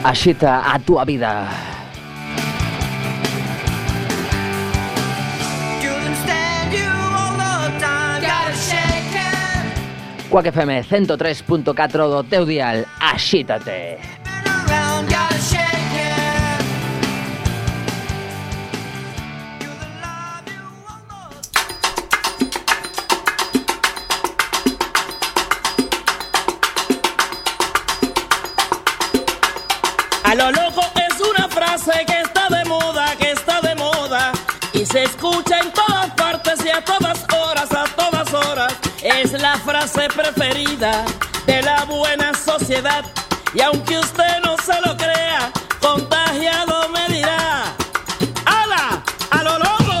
Axita a túa vida. Quack FM 103.4 do teu dial. Axítate. A lo loco es una frase que está de moda y se escucha en todas partes y a todas horas, es la frase preferida de la buena sociedad y aunque usted no se lo crea, contagiado me dirá: ¡hala! ¡A lo loco!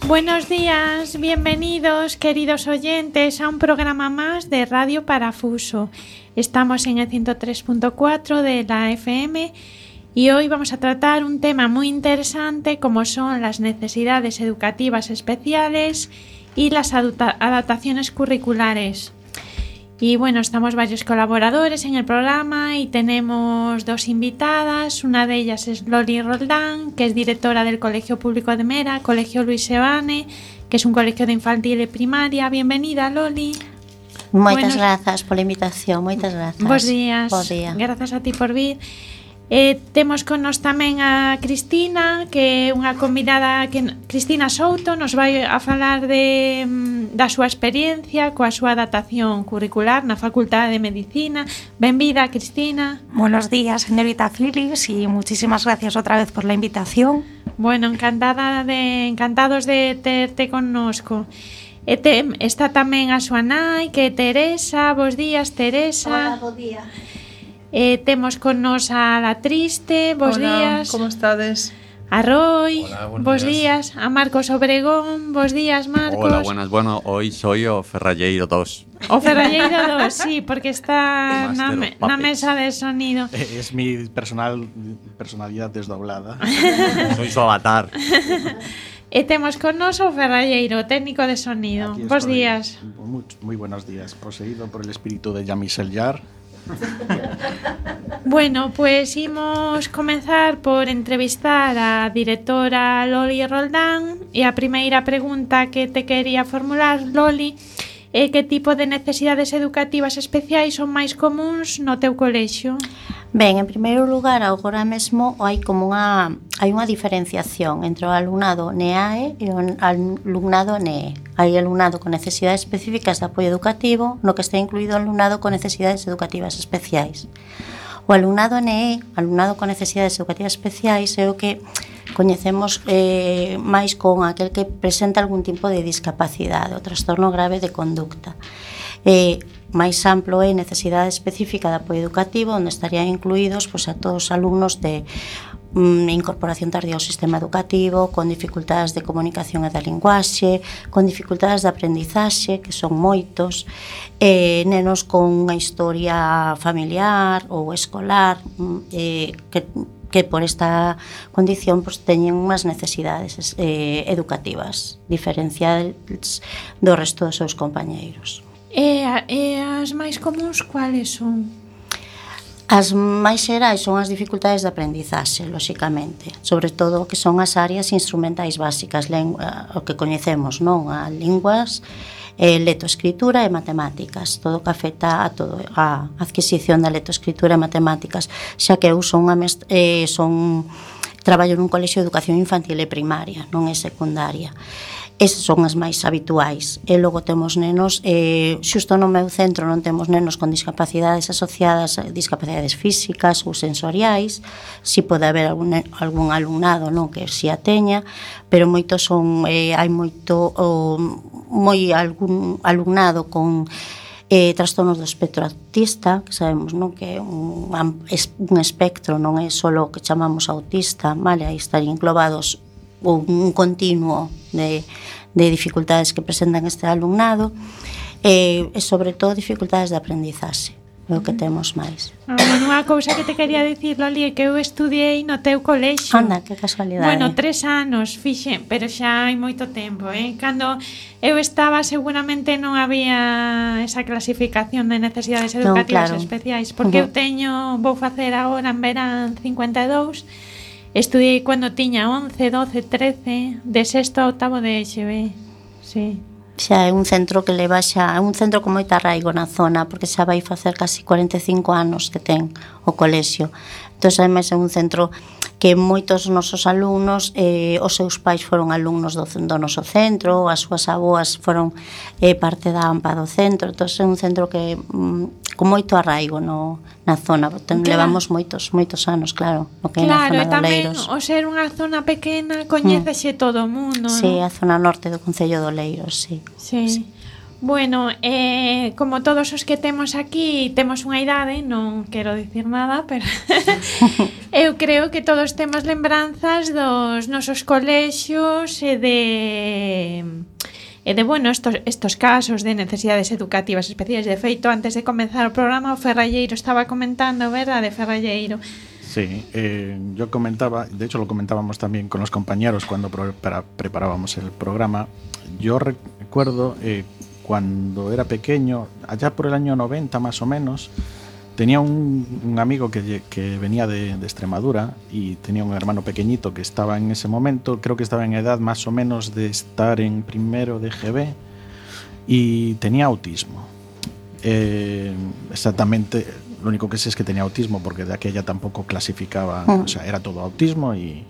Buenos días, bienvenidos queridos oyentes a un programa más de Radio Parafuso. Estamos en el 103.4 de la FM y hoy vamos a tratar un tema muy interesante como son las necesidades educativas especiales y las adaptaciones curriculares. Y bueno, estamos varios colaboradores en el programa y tenemos dos invitadas. Una de ellas es Loli Roldán, que es directora del Colegio Público de Mera, Colegio Luis Sebane, que es un colegio de infantil y primaria. Bienvenida, Loli. Moitas grazas pola invitación, moitas grazas. Bos días. Bos días. Grazas a ti por vir. Temos con nos tamén a Cristina, que é unha convidada Cristina Souto, nos vai a falar da súa experiencia coa súa adaptación curricular na Facultade de Medicina. Benvida, Cristina. Buenos días, señorita Filis, y muchísimas gracias otra vez por la invitación. Bueno, encantados de terte connosco. Está tamén a súa nai, que é Teresa. Bos días, Teresa. Hola, bo día. Temos con nos a La Triste. Bos días. ¿Cómo estades? A Roy. Hola, bos días. A Marcos Obregón. Bos días, Marcos. Hola, buenas. Bueno, hoy soy o Ferralleiro 2. O Ferralleiro 2, sí, porque está na mesa de sonido. Es mi personalidad desdoblada. Soy su avatar. E temos con nos o Ferralleiro, técnico de sonido. Bos días. Muy buenos días. Poseído por el espíritu de Jean-Michel Jarre. Bueno, pues imos comenzar por entrevistar a directora Loli Roldán. E a primeira pregunta que te quería formular, Loli, é que tipo de necesidades educativas especiais son máis comuns no teu colexio? Ben, en primeiro lugar, agora mesmo hai unha diferenciación entre o alumnado NEAE e o alumnado NEE. Hai alumnado con necesidades específicas de apoio educativo, no que está incluído o alumnado con necesidades educativas especiais. O alumnado NEE, alumnado con necesidades educativas especiais, é o que coñecemos máis con aquel que presenta algún tipo de discapacidade, o trastorno grave de conducta. Máis amplo é necesidade específica de apoio educativo, onde estarían incluídos a todos os alumnos de incorporación tardía ao sistema educativo, con dificultades de comunicación e da linguaxe, con dificultades de aprendizaxe, que son moitos, nenos con unha historia familiar ou escolar, que por esta condición teñen unhas necesidades educativas diferenciadas do resto dos seus compañeiros. E as máis comuns cuáles son? As máis xerais son as dificultades de aprendizaxe, lóxicamente, sobre todo o que son as áreas instrumentais básicas, o que coñecemos, non? A linguas, lectoescritura e matemáticas, todo o que afecta a adquisición da lectoescritura e matemáticas, xa que eu traballo nun colexio de educación infantil e primaria, non é secundaria. Esas son as máis habituais. E logo temos nenos, xusto no meu centro non temos nenos con discapacidades asociadas a discapacidades físicas ou sensoriais. Si pode haber algún alumnado, non, que si a teña, pero moitos son, hai moito algún alumnado con trastornos do espectro autista, que sabemos, non, que é un espectro, non é só o que chamamos autista, vale, aí están englobados un continuo de dificultades que presentan este alumnado e sobre todo dificultades de aprendizaxe. é o que temos máis. Bueno, unha cousa que te quería dicir, Loli, é que eu estudiei no teu colexio. Anda, que casualidade. Bueno, 3 anos fixen, pero xa hai moito tempo, Cando eu estaba seguramente non había esa clasificación de necesidades educativas especiais, porque eu vou facer agora en verán 52, estudiei cando tiña 11, 12, 13, de sexto a octavo de EXB, sí. Xa é un centro que leva xa, é un centro con moita arraigo na zona, porque xa vai facer casi 45 anos que ten o colexio. Entón, ademais, é un centro que moitos nosos alumnos, os seus pais foron alumnos do noso centro, as súas aboas foron parte da AMPA do centro. Entón, é un centro que con moito arraigo na zona. Levamos moitos anos, claro, no que é na zona de Oleiros. Claro, e tamén, o ser unha zona pequena, coñécese todo o mundo, Sí, a zona norte do Concello de Oleiros, sí. Sí. Bueno, como todos os que temos aquí temos unha idade, non quero dicir nada, pero eu creo que todos temos lembranzas dos nosos colexios e de bueno, estos casos de necesidades educativas especiais. De feito, antes de comenzar o programa, o Ferralleiro estaba comentando, verdade, Ferralleiro? Sí, yo comentaba, de hecho lo comentábamos también con los compañeros cuando preparábamos el programa. Yo recuerdo cuando era pequeño, allá por el año 90 más o menos, tenía un amigo que venía de Extremadura y tenía un hermano pequeñito que estaba en ese momento, creo que estaba en edad más o menos de estar en primero de GB y tenía autismo. Exactamente, lo único que sé es que tenía autismo porque de aquella tampoco clasificaba, o sea, era todo autismo y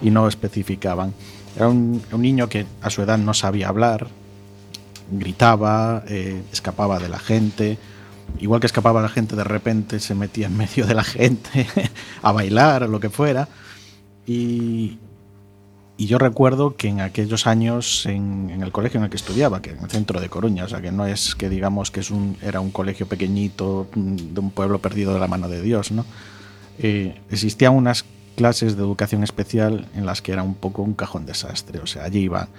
no especificaban. Era un niño que a su edad no sabía hablar, gritaba, escapaba de la gente, igual que escapaba la gente, de repente se metía en medio de la gente a bailar o lo que fuera. Y yo recuerdo que en aquellos años en el colegio en el que estudiaba, que en el centro de Coruña, o sea que no es que digamos que era un colegio pequeñito de un pueblo perdido de la mano de Dios, ¿no? Existían unas clases de educación especial en las que era un poco un cajón desastre, o sea, allí iban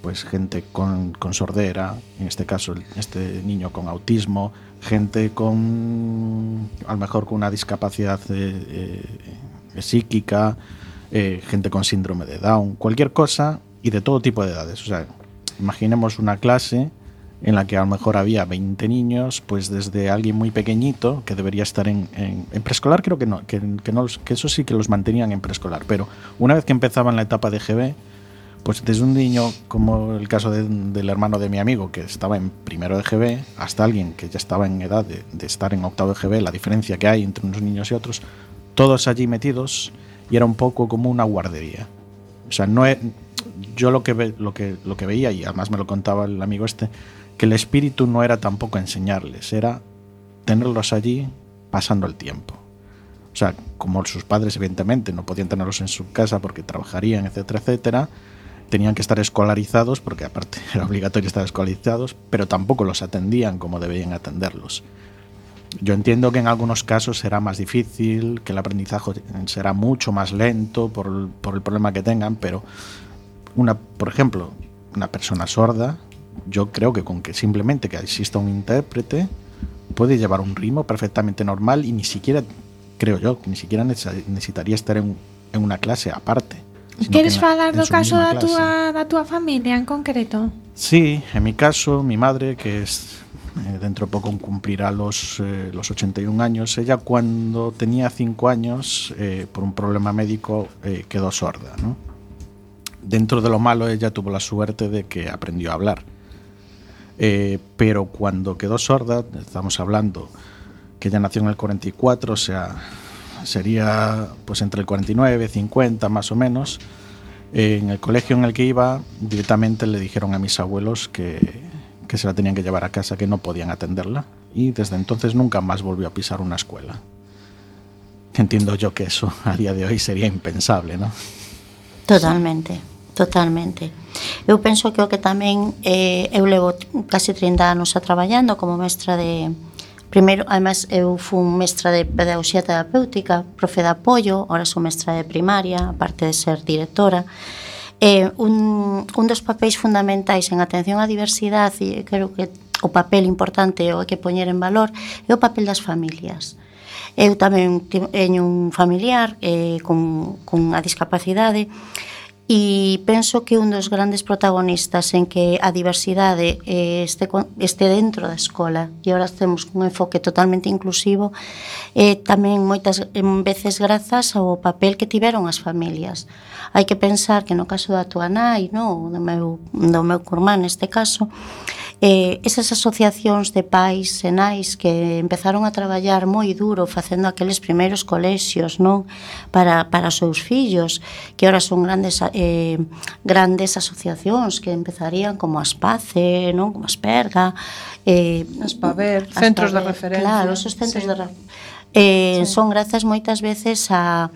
pues gente con sordera, en este caso este niño con autismo, gente con a lo mejor con una discapacidad psíquica, gente con síndrome de Down, cualquier cosa y de todo tipo de edades. O sea, imaginemos una clase en la que a lo mejor había 20 niños, pues desde alguien muy pequeñito que debería estar en preescolar, creo que no, que eso sí que los mantenían en preescolar, pero una vez que empezaban la etapa de GB, pues desde un niño como el caso del hermano de mi amigo que estaba en primero de GB hasta alguien que ya estaba en edad de estar en octavo de GB, la diferencia que hay entre unos niños y otros, todos allí metidos, y era un poco como una guardería. O sea, yo lo que veía, y además me lo contaba el amigo que el espíritu no era tampoco enseñarles, era tenerlos allí pasando el tiempo. O sea, como sus padres evidentemente no podían tenerlos en su casa porque trabajarían, etcétera, etcétera, tenían que estar escolarizados, porque aparte era obligatorio estar escolarizados, pero tampoco los atendían como debían atenderlos. Yo entiendo que en algunos casos será más difícil, que el aprendizaje será mucho más lento por el problema que tengan, pero por ejemplo, una persona sorda, yo creo que con que simplemente que exista un intérprete puede llevar un ritmo perfectamente normal y ni siquiera, creo yo, que ni siquiera necesitaría estar en una clase aparte. Queres falar do caso da túa familia en concreto? Sí, en mi caso, mi madre, que es dentro de poco cumplirá los 81 años, ella cuando tenía 5 años, por un problema médico, quedó sorda, ¿no? Dentro de lo malo, ella tuvo la suerte de que aprendió a hablar. Pero cuando quedó sorda, estamos hablando que ella nació en el 44, o sea, sería pues entre el 49, 50 más o menos. En el colegio en el que iba, directamente le dijeron a mis abuelos que se la tenían que llevar a casa, que no podían atenderla, y desde entonces nunca más volvió a pisar una escuela. Entiendo yo que eso a día de hoy sería impensable, ¿no? Totalmente. Eu penso que o que tamén eu levo casi 30 anos traballando como mestra de... Primeiro, además, eu fui mestra de pedagogía terapéutica, profe de apoio, ahora sou mestra de primaria, aparte de ser directora. Un dos papéis fundamentais en atención á diversidade, e creo que o papel importante o que poñer en valor é o papel das familias. Eu tamén teño un familiar con a discapacidade e penso que un dos grandes protagonistas en que a diversidade este dentro da escola, e agora temos un enfoque totalmente inclusivo, tamén moitas veces grazas ao papel que tiveron as familias. Hai que pensar que no caso da tua nai, do meu curmán neste caso, esas asociacións de pais e nais que empezaron a traballar moi duro facendo aqueles primeiros colexios, non, para os seus fillos, que ahora son grandes asociacións que empezarían como Aspace, non, como Asperga, Aspaver, centros de referencia. Claro, esos centros de referencia. Son grazas moitas veces a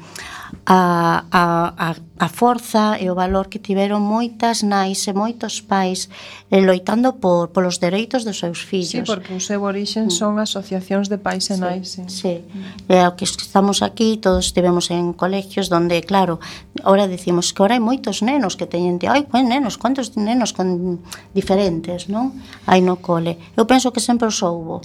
forza e o valor que tiveron moitas nais e moitos pais loitando polos dereitos dos seus fillos. Sí, porque o seu orixen son asociacións de pais e nais. Sí. O que estamos aquí, todos estivemos en colegios donde, claro, ahora decimos que ahora hai moitos nenos que teñen cuántos nenos con diferentes, non? Hai no cole. Eu penso que sempre os houbo.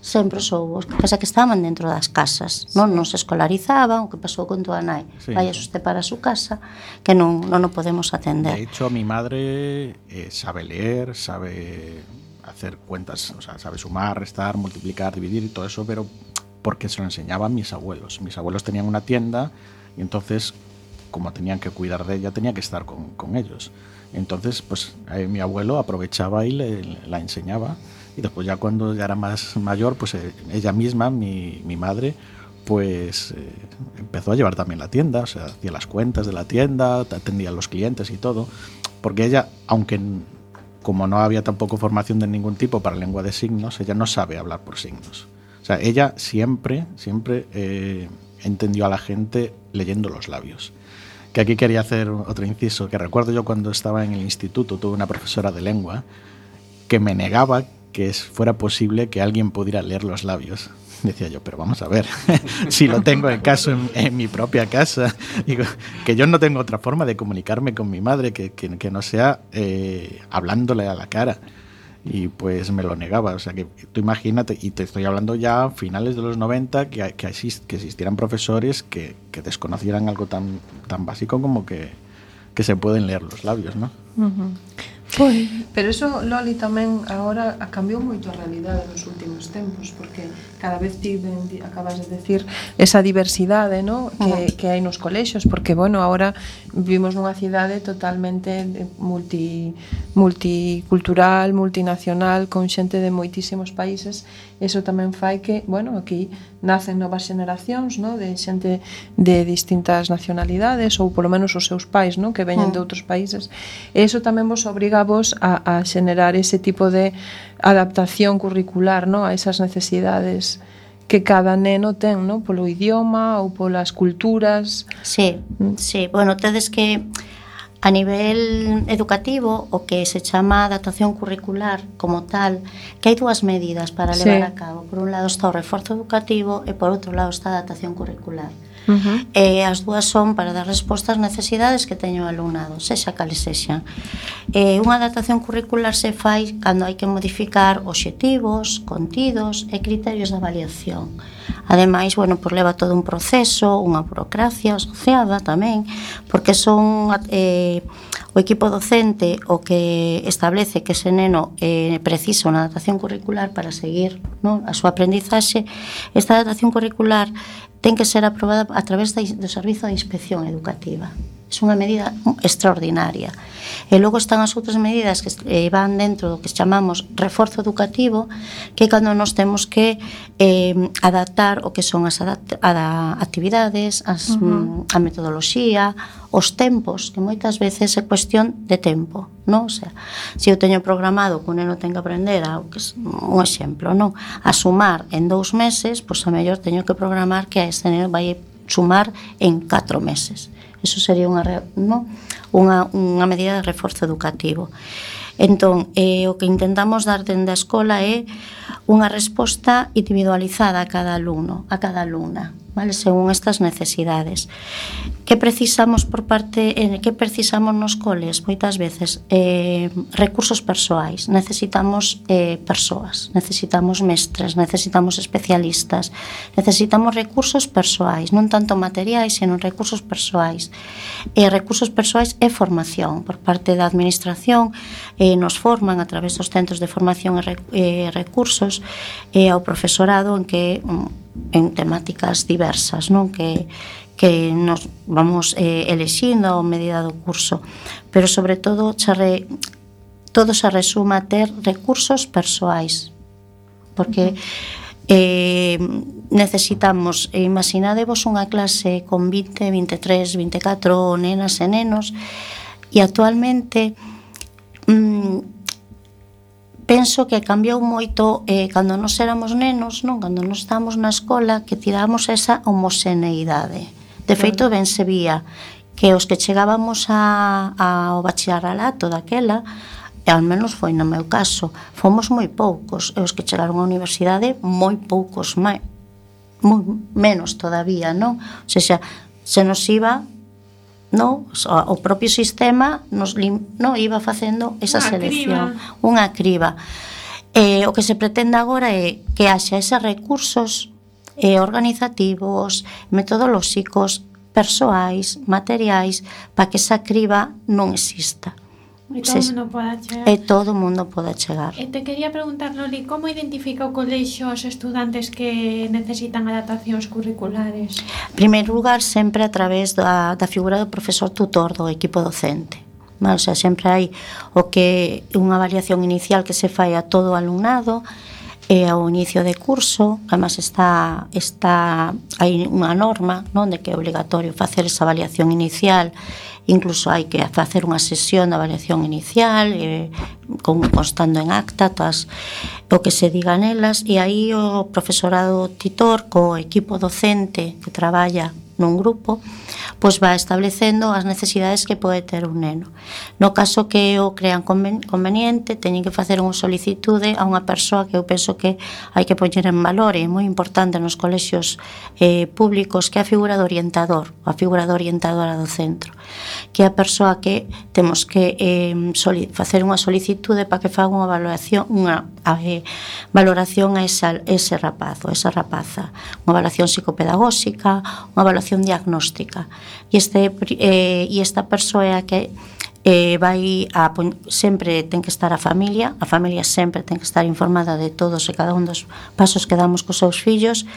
Sempre soubo, pasa que estaban dentro das casas, non se escolarizaban, o que pasou con tua nai, vai a usted para a súa casa, que non o podemos atender. De hecho, mi madre sabe leer, sabe hacer cuentas, o sea, sabe sumar, restar, multiplicar, dividir y todo eso, pero porque se lo enseñaban mis abuelos. Mis abuelos tenían una tienda y entonces, como tenían que cuidar de ella, tenía que estar con ellos. Entonces, pues mi abuelo aprovechaba y la enseñaba. Y después ya cuando ya era más mayor, pues ella misma, mi madre, pues empezó a llevar también la tienda, o sea, hacía las cuentas de la tienda, atendía a los clientes y todo, porque ella, aunque como no había tampoco formación de ningún tipo para lengua de signos, ella no sabe hablar por signos. O sea, ella siempre entendió a la gente leyendo los labios. Que aquí quería hacer otro inciso, que recuerdo yo cuando estaba en el instituto, tuve una profesora de lengua que me negaba que fuera posible que alguien pudiera leer los labios. Decía yo, pero vamos a ver, si lo tengo en mi propia casa, digo, que yo no tengo otra forma de comunicarme con mi madre que no sea hablándole a la cara. Y pues me lo negaba, o sea que tú imagínate, y te estoy hablando ya a finales de los 90, que existieran profesores que desconocieran algo tan básico como que se pueden leer los labios, ¿no? Uh-huh. Pero eso, Loli, tamén agora cambiou moito a realidade nos últimos tempos, porque cada vez acabas de decir esa diversidade, ¿no? que hai nos colexios, porque, bueno, agora vivimos nunha cidade totalmente multicultural, multinacional, con xente de moitísimos países. Eso tamén fai que, bueno, aquí nacen novas xeneracións, ¿no? De xente de distintas nacionalidades, ou polo menos os seus pais, ¿no? Que veñen de outros países. E iso tamén vos obriga vos a xenerar ese tipo de adaptación curricular, ¿no? A esas necesidades que cada neno ten, ¿no? Polo idioma ou polas culturas. Sí. Bueno, tedes que a nivel educativo o que se chama adaptación curricular como tal, que hai dúas medidas para levar a cabo. Por un lado está o reforzo educativo e por outro lado está a adaptación curricular. Uh-huh. As dúas son para dar resposta ás necesidades que teño o alumnado, sexa cales sexan. Unha adaptación curricular se fai cando hai que modificar obxectivos, contidos e criterios de avaliación. Ademais, bueno, pues leva todo un proceso, unha burocracia asociada tamén, porque son o equipo docente o que establece que ese neno precisa unha adaptación curricular para seguir, ¿no? A súa aprendizaxe. Esta adaptación curricular ten que ser aprobada a través do Servizo de Inspección Educativa. É unha medida extraordinaria. E logo están as outras medidas que van dentro do que chamamos reforzo educativo, que é cando nos temos que adaptar o que son as actividades, a metodoloxía, os tempos, que moitas veces é cuestión de tempo, non? O sea, se eu teño programado que un neno ten que aprender un exemplo, non? A sumar en 2 meses, pois a mellor teño que programar que a este neno vai sumar en 4 meses. Eso sería unha medida de reforzo educativo. Entón, o que intentamos dar dende a escola é unha resposta individualizada a cada alumno, a cada alumna. vale, según estas necesidades. Que precisamos que precisamos nos coles? Moitas veces recursos persoais. Necesitamos persoas, necesitamos mestres, necesitamos especialistas, necesitamos recursos persoais, non tanto materiais, senón recursos persoais. Recursos persoais e formación por parte da administración, nos forman a través dos centros de formación e recursos ao profesorado en temáticas diversas, non? Que nos vamos elixindo a medida do curso, pero sobre todo todo se resuma a ter recursos persoais, porque necesitamos, imaginadevos unha clase con 20, 23, 24 nenas e nenos, e actualmente penso que cambiou moito cando nos éramos nenos, non? Cando nos estábamos na escola, que tiramos esa homoxeneidade. De feito, ben se vía que os que chegábamos ao bacharelato daquela, e ao menos foi no meu caso, fomos moi poucos, e os que chegaron á universidade moi poucos, moi menos todavía, non? O sea, se nos iba, non? O propio sistema iba facendo esa selección, unha criba. O que se pretende agora é que haxa eses recursos organizativos, metodolóxicos, persoais, materiais, para que esa criba non exista. E todo o mundo poda chegar. E todo o mundo poda chegar. E te quería preguntar, Loli, como identifica o colexio os estudantes que necesitan adaptacións curriculares? En primeiro lugar, sempre a través da figura do profesor tutor do equipo docente. O sea, sempre hai unha avaliación inicial que se fai a todo o alumnado, ao inicio de curso. Además hai unha norma, non, de que é obligatorio facer esa avaliación inicial. Incluso hai que facer unha sesión de avaliación inicial, constando en acta o que se diga nelas, e aí o profesorado titor co equipo docente que traballa nun grupo, pois vai establecendo as necesidades que pode ter un neno. No caso que o crean conveniente, teñen que facer unha solicitude a unha persoa que eu penso que hai que poñer en valor, e é moi importante nos colexios públicos, que é a figura do orientador, a figura da orientadora do centro, que é a persoa que temos que facer unha solicitude para que faga unha valoración a ese rapazo, a esa rapaza, unha valoración psicopedagóxica, unha valoración diagnóstica, e esta persoa é a que sempre ten que estar a familia sempre ten que estar informada de todos e cada un dos pasos que damos cos seus fillos,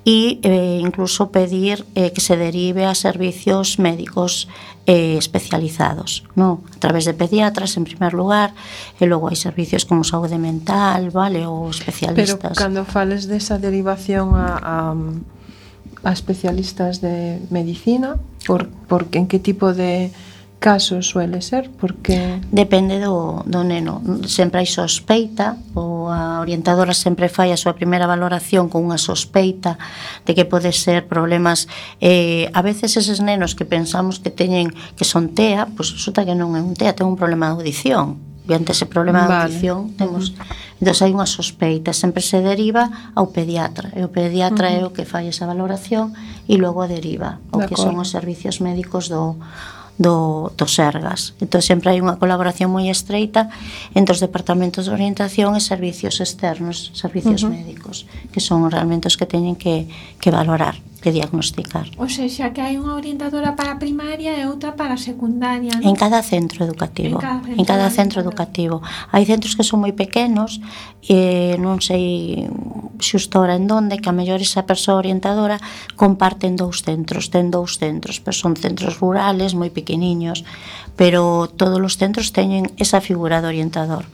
e incluso pedir que se derive a servicios médicos especializados, non? A través de pediatras en primer lugar, e logo hai servicios como saúde mental, vale, ou especialistas. Pero cando fales desa derivación a especialistas de medicina, en que tipo de casos suele ser? Porque depende do neno. Sempre hai sospeita, ou a orientadora sempre fai a súa primeira valoración con unha sospeita de que pode ser problemas. A veces eses nenos que pensamos que que son TEA, pois resulta que non é un TEA, ten un problema de audición. E ante ese problema de audición temos, entón hai unha sospeita, sempre se deriva ao pediatra, e o pediatra é o que fai esa valoración, e logo deriva ao que son os servicios médicos do Sergas. Entón sempre hai unha colaboración moi estreita entre os departamentos de orientación e servicios externos, servicios médicos, que son realmente os que teñen que valorar, que diagnosticar. O sea, que hai unha orientadora para a primaria e outra para a secundaria, non? En cada centro educativo. En cada centro educativo. Hai centros que son moi pequenos, e non sei xusto ahora en donde, que a mellor esa persoa orientadora comparten ten dous centros, pero son centros rurales moi pequeniños, pero todos os centros teñen esa figura de orientador.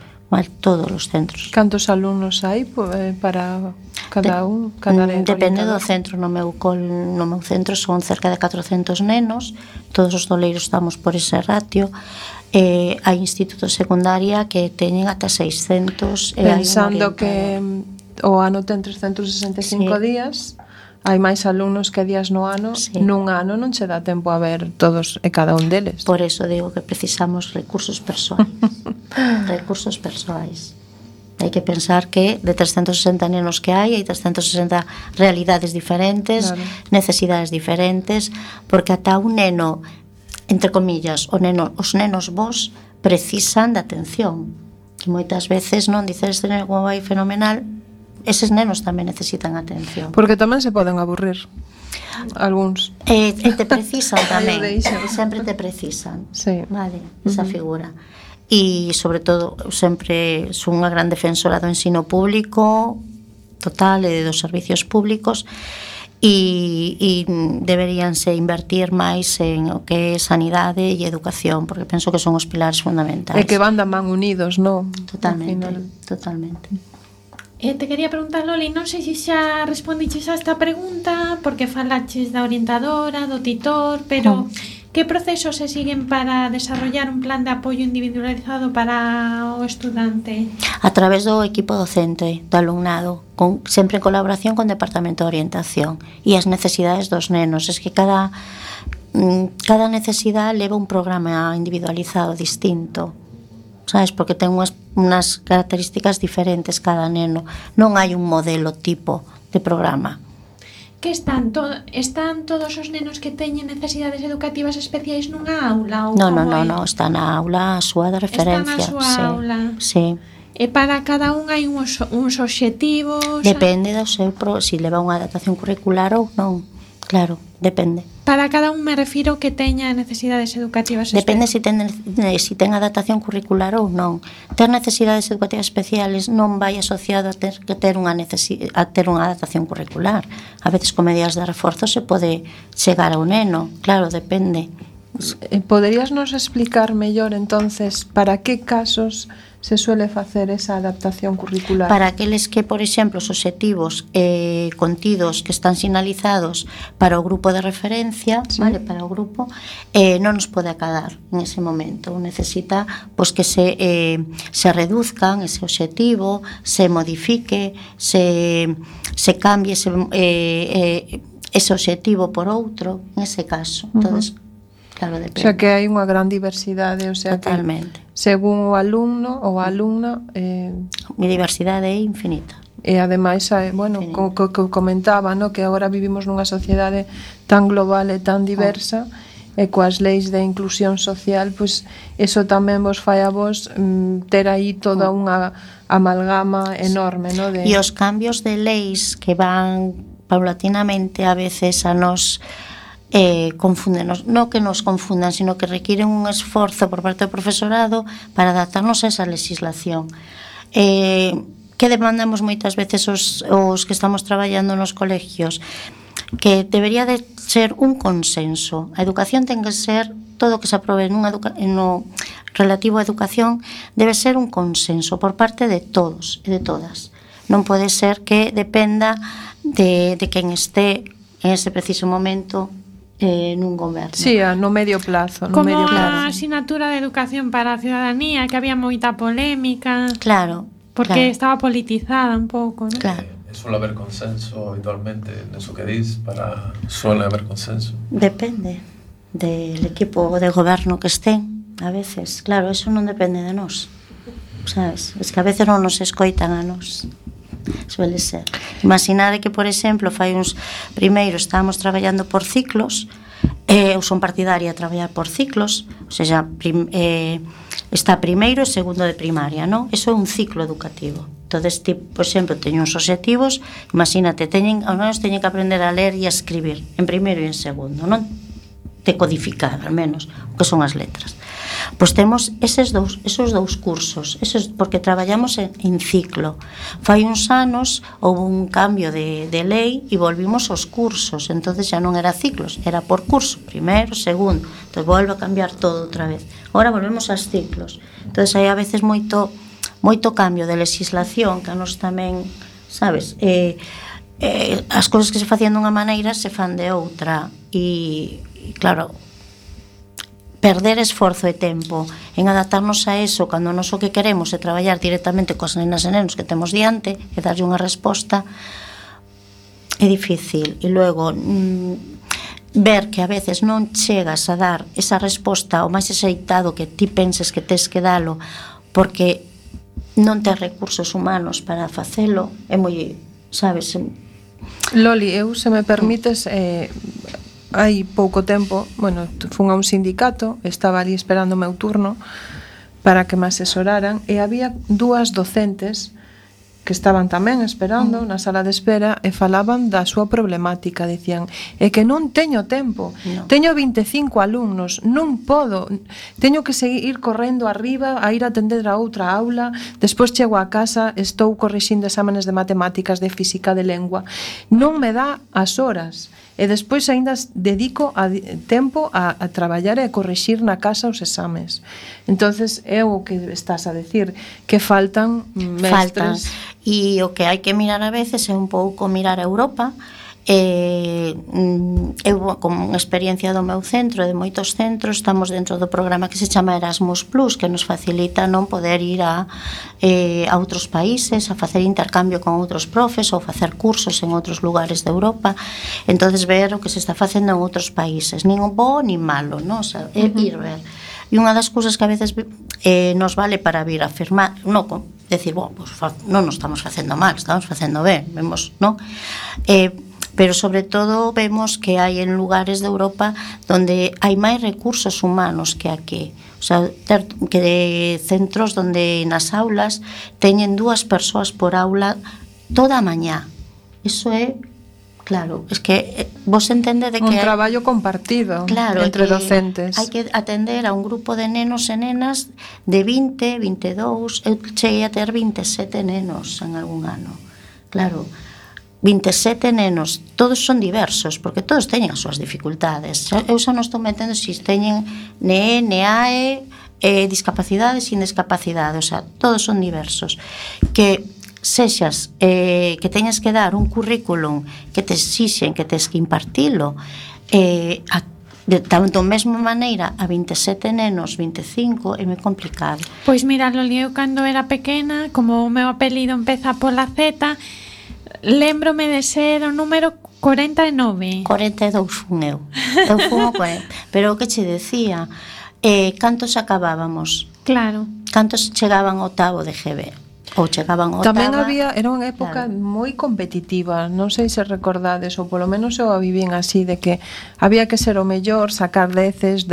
Todos os centros. Cantos alumnos hai para cada un? Depende do centro. No meu centro son cerca de 400 nenos, todos os doleiros estamos por ese ratio. Hai institutos secundaria que teñen ata 600. Pensando que o ano ten 365 días, hai máis alumnos que días no ano. Nun ano non che dá tempo a ver todos e cada un deles. Por eso digo que precisamos recursos persoais. Recursos persoais. Hai que pensar que de 360 nenos que hai 360 realidades diferentes, claro, necesidades diferentes, porque ata un neno, entre comillas, os nenos vos precisan de atención, que moitas veces non dices este neno como vai fenomenal, eses nenos tamén necesitan atención. Porque tamén se poden aburrir algúns. E te precisan tamén, sempre te precisan, sí, vale, esa figura. E, sobre todo, sempre son unha gran defensora do ensino público total e dos servicios públicos, e deberíanse invertir máis en o que é sanidade e educación, porque penso que son os pilares fundamentais. E que van da man unidos, non? Totalmente. Te quería preguntar, Loli, non sei se xa respondiches a esta pregunta, porque falaches da orientadora, do titor, pero que procesos se siguen para desarrollar un plan de apoio individualizado para o estudante? A través do equipo docente, do alumnado, sempre en colaboración con o Departamento de Orientación e as necesidades dos nenos. Es que cada necesidade leva un programa individualizado distinto, sabes, porque ten unhas características diferentes cada neno. Non hai un modelo tipo de programa. Que están todos os nenos que teñen necesidades educativas especiais nunha aula? Non, está na aula a súa de referencia. Está na súa aula. Sí. E para cada un hai uns obxectivos? Depende do seu, se leva unha adaptación curricular ou non. Claro, depende. Para cada un me refiro que teña necesidades educativas especiais. Depende se ten adaptación curricular ou non. Ter necesidades educativas especiales non vai asociado a ter unha adaptación curricular. A veces con medidas de reforzo se pode chegar ao neno. Claro, depende. Poderías nos explicar mellor entonces para que casos se suele facer esa adaptación curricular? Para aqueles que, por exemplo, os obxectivos contidos que están sinalizados para o grupo de referencia, sí, vale, para o grupo, non nos pode acadar en ese momento. Necesita pois que se reduzcan ese obxectivo, se modifique, se cambie ese obxectivo por outro, en ese caso. Entonces, claro, depende. O sea que hai unha gran diversidade, o sea, totalmente, que según o alumno ou a alumna a diversidade é infinita. E ademais, bueno, como comentaba, no, que agora vivimos nunha sociedade tan global e tan diversa, e coas leis de inclusión social, pois eso tamén vos fai a vos ter aí toda unha amalgama enorme, no, de... E os cambios de leis que van paulatinamente a veces a nos confúndenos, non que nos confundan, sino que requiren un esforzo por parte do profesorado para adaptarnos a esa legislación. Que demandamos moitas veces os que estamos traballando nos colegios? Que debería de ser un consenso. A educación ten que ser, todo o que se aprobe no relativo a educación debe ser un consenso por parte de todos e de todas. Non pode ser que dependa de quen esté en ese preciso momento nun goberno. Sí, no medio plazo. Como a asignatura de educación para a ciudadanía, que había moita polémica. Claro. Porque estaba politizada un pouco, ¿no? Claro. Suele haber consenso habitualmente en eso que dis, suele haber consenso. Depende del equipo de goberno que estén, a veces. Claro, eso non depende de nós, sabes? Es que a veces non nos escoitan a nós. Suele ser. Imaginade que, por exemplo, fai uns primeiros estábamos traballando por ciclos, eu son partidaria de traballar por ciclos, ou seja, está primeiro e segundo de primaria, non? Eso é un ciclo educativo. Entonces, por exemplo, teño uns obxectivos, imagínate, os nenos teñen que aprender a ler e a escribir en primeiro e en segundo, non? Decodificar, al menos, o que son as letras. Pois temos esos dous cursos, porque traballamos en ciclo. Fai uns anos houve un cambio de lei e volvimos aos cursos, entonces xa non era ciclos, era por curso, primeiro, segundo, entón volve a cambiar todo outra vez. Agora volvemos aos ciclos. Entonces hai a veces moito cambio de legislación que a nos tamén, sabes, as cousas que se facían dunha maneira se fan de outra e claro, perder esforzo e tempo en adaptarnos a eso cando nós o que queremos é traballar directamente coas nenas e nenos que temos diante e darlle unha resposta é difícil. E logo ver que a veces non chegas a dar esa resposta o máis axeitado que ti penses que tes que dalo porque non ter recursos humanos para facelo é moi, sabes? Loli, eu, se me permites, hai pouco tempo, bueno, fun a un sindicato, estaba ali esperando o meu turno para que me asesoraran, e había dúas docentes que estaban tamén esperando na sala de espera e falaban da súa problemática. Dicían, é que non teño tempo, teño 25 alumnos, non podo, teño que seguir correndo arriba a ir a atender a outra aula, despois chego a casa, estou corrixindo exámenes de matemáticas, de física, de lengua, non me dá as horas. E despois aínda dedico tempo a traballar e a corrixir na casa os exames. Entonces é o que estás a decir, que faltan mestres. E o que hai que mirar a veces é un pouco mirar a Europa. Eu, como experiencia do meu centro e de moitos centros, estamos dentro do programa que se chama Erasmus Plus, que nos facilita non poder ir a outros países, a facer intercambio con outros profes ou facer cursos en outros lugares de Europa. Entonces ver o que se está facendo en outros países, nin bo nin malo, non? O sea, ir ver. E unha das cousas que a veces nos vale para vir a afirmar, non, decir, pues, non nos estamos facendo mal, estamos facendo ben, vemos, non? Pero sobre todo vemos que hai en lugares de Europa donde hai máis recursos humanos que aquí. O sea, que de centros donde nas aulas teñen 2 persoas por aula toda a mañá. Iso é, claro, es que vos entende de que un traballo compartido, claro, entre docentes. Hai que atender a un grupo de nenos e nenas de 20, 22, eu cheguei a ter 27 nenos en algún ano. Claro, 27 nenos, todos son diversos, porque todos teñen as súas dificultades. Eu xa non estou metendo se teñen NE, NEAE, discapacidade, sin discapacidade, o sea, todos son diversos. Que sexas, que teñas que dar un currículum que te exixen, que tes que impartilo, de tanto mesma maneira a 27 nenos, 25, é moi complicado. Pois mira, Loli, eu cando era pequena, como o meu apelido empeza pola Z, lembrome de ser o número 49. 42 fun eu. Eu fun o 40. Pero o que che decía, cantos acabábamos? Claro. Cantos chegaban ao octavo de GB? Ou chegaban ao octava? Tamén había, era unha época moi competitiva, non sei se recordades, ou polo menos eu a vivín así, de que había que ser o mellor, sacar deces,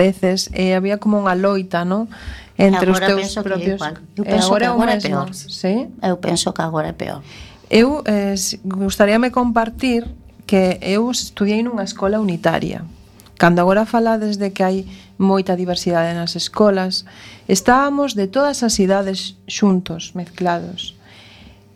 e había como unha loita, non? Entre os teus propios. Eu penso que agora é peor. Sí? Eu penso que agora é peor. Eu gustaríame compartir que eu estudiei nunha escola unitaria. Cando agora falades de que hai moita diversidade nas escolas, estábamos de todas as idades xuntos, mezclados.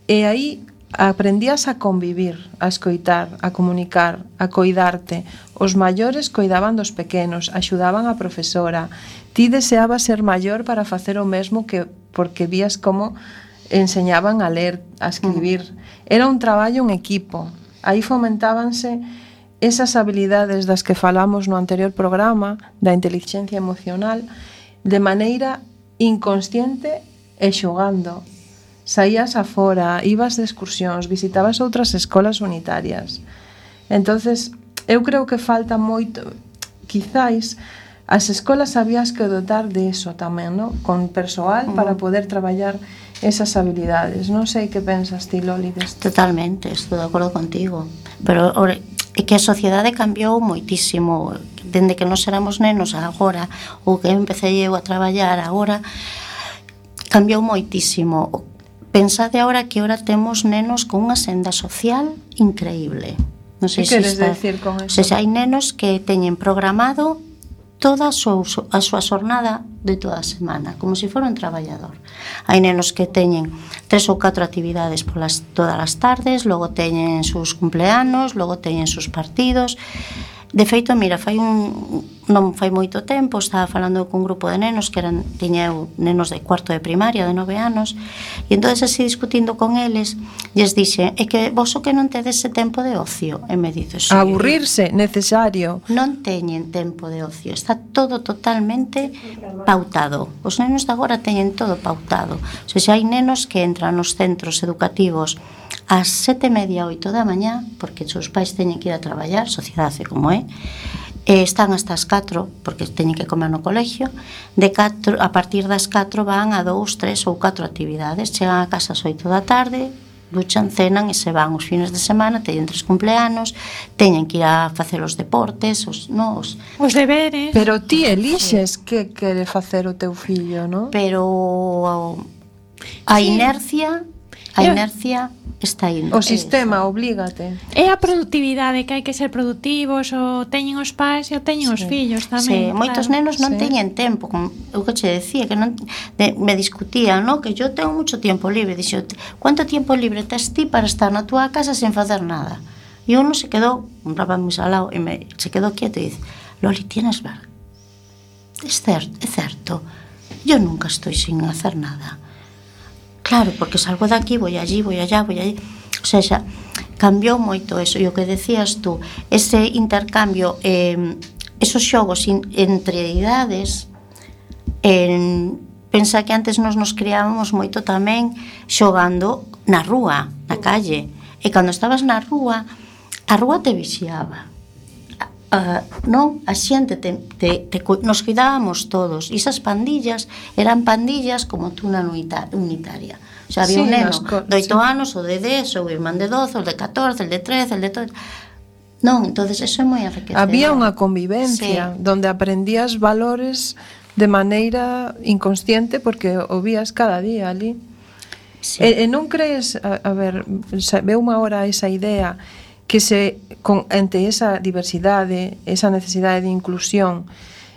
E aí aprendías a convivir, a escoitar, a comunicar, a coidarte. Os maiores coidaban dos pequenos, axudaban a profesora. Ti deseabas ser maior para facer o mesmo, que porque vías como enseñaban a ler, a escribir. Era un traballo en equipo. Aí fomentábanse esas habilidades das que falamos no anterior programa, da inteligencia emocional, de maneira inconsciente e xogando. Saías afora, ibas de excursións, visitabas outras escolas unitarias. Entonces, eu creo que falta moito, quizáis, as escolas habías que dotar de eso tamén, ¿no? Con persoal para poder traballar esas habilidades. Non sei que pensas ti, Loli, desto. Totalmente, estou de acordo contigo. Pero é que a sociedade cambiou moitísimo. Dende que nos éramos nenos agora, ou que empecé eu a traballar agora, cambiou moitísimo. Pensade agora que ahora temos nenos con unha senda social increíble. Non sei que queres decir con eso? Se hai nenos que teñen programado toda a súa xornada de toda a semana, como se fora un traballador. Hai nenos que teñen 3 ou 4 actividades todas as tardes, logo teñen sus cumpleanos, logo teñen sus partidos. De feito, mira, non fai moito tempo, estaba falando cun grupo de nenos que tiña eu nenos de cuarto de primaria, de 9 anos, e entonces así discutindo con eles, lles dixe, é que vos o que non tedes ese tempo de ocio, e me dice, sí, aburrirse, necesario. Non teñen tempo de ocio, está todo totalmente pautado. Os nenos de agora teñen todo pautado. O sea, hai nenos que entran nos centros educativos ás 7:30, 8 da mañá, porque os seus pais teñen que ir a traballar, sociedade como é, están hasta as 4 porque teñen que comer no colegio. A partir das 4 van a 2, 3 ou 4 actividades. Chegan a casa ás 8 da tarde, duchan, cenan e se van os fines de semana. Teñen 3 cumpleanos, teñen que ir a facer os deportes, os deberes. Pero ti elixes que quere facer o teu fillo, non? Pero a inercia está indo. O sistema oblígate. É a productividade, que hai que ser productivos, o teñen os pais e o teñen os fillos tamén. Sí, moitos nenos non teñen tempo, como eu que che decía, que non me discutían, no? Que yo tengo mucho tiempo libre. Dixo, ¿cuánto tiempo libre tes ti para estar na túa casa sen facer nada? E uno se quedou, un rapaz moi salado, se quedou quieto e dice, Loli, tienes verdad. É certo, yo nunca estoy sin hacer nada. Claro, porque salgo daqui, voy allí, voy allá, voy allí. O sea, xa cambiou moito eso. E o que decías tú, ese intercambio, esos xogos entre idades, pensa que antes nos criábamos moito tamén xogando na rúa, na calle. E cando estabas na rúa, a rúa te vixiaba. Non? A xente nos cuidábamos todos. E esas pandillas eran pandillas como tú na unitaria. O sea, había un neno de 8 anos, o de 10, o irmán de 12, o de 14, el de 13, el de todo. Non, entonces eso é moi enriquecedor. Había unha convivencia donde aprendías valores de maneira inconsciente porque o vías cada día ali. E non crees, a ver, veume agora esa idea que ante esa diversidade, esa necesidade de inclusión,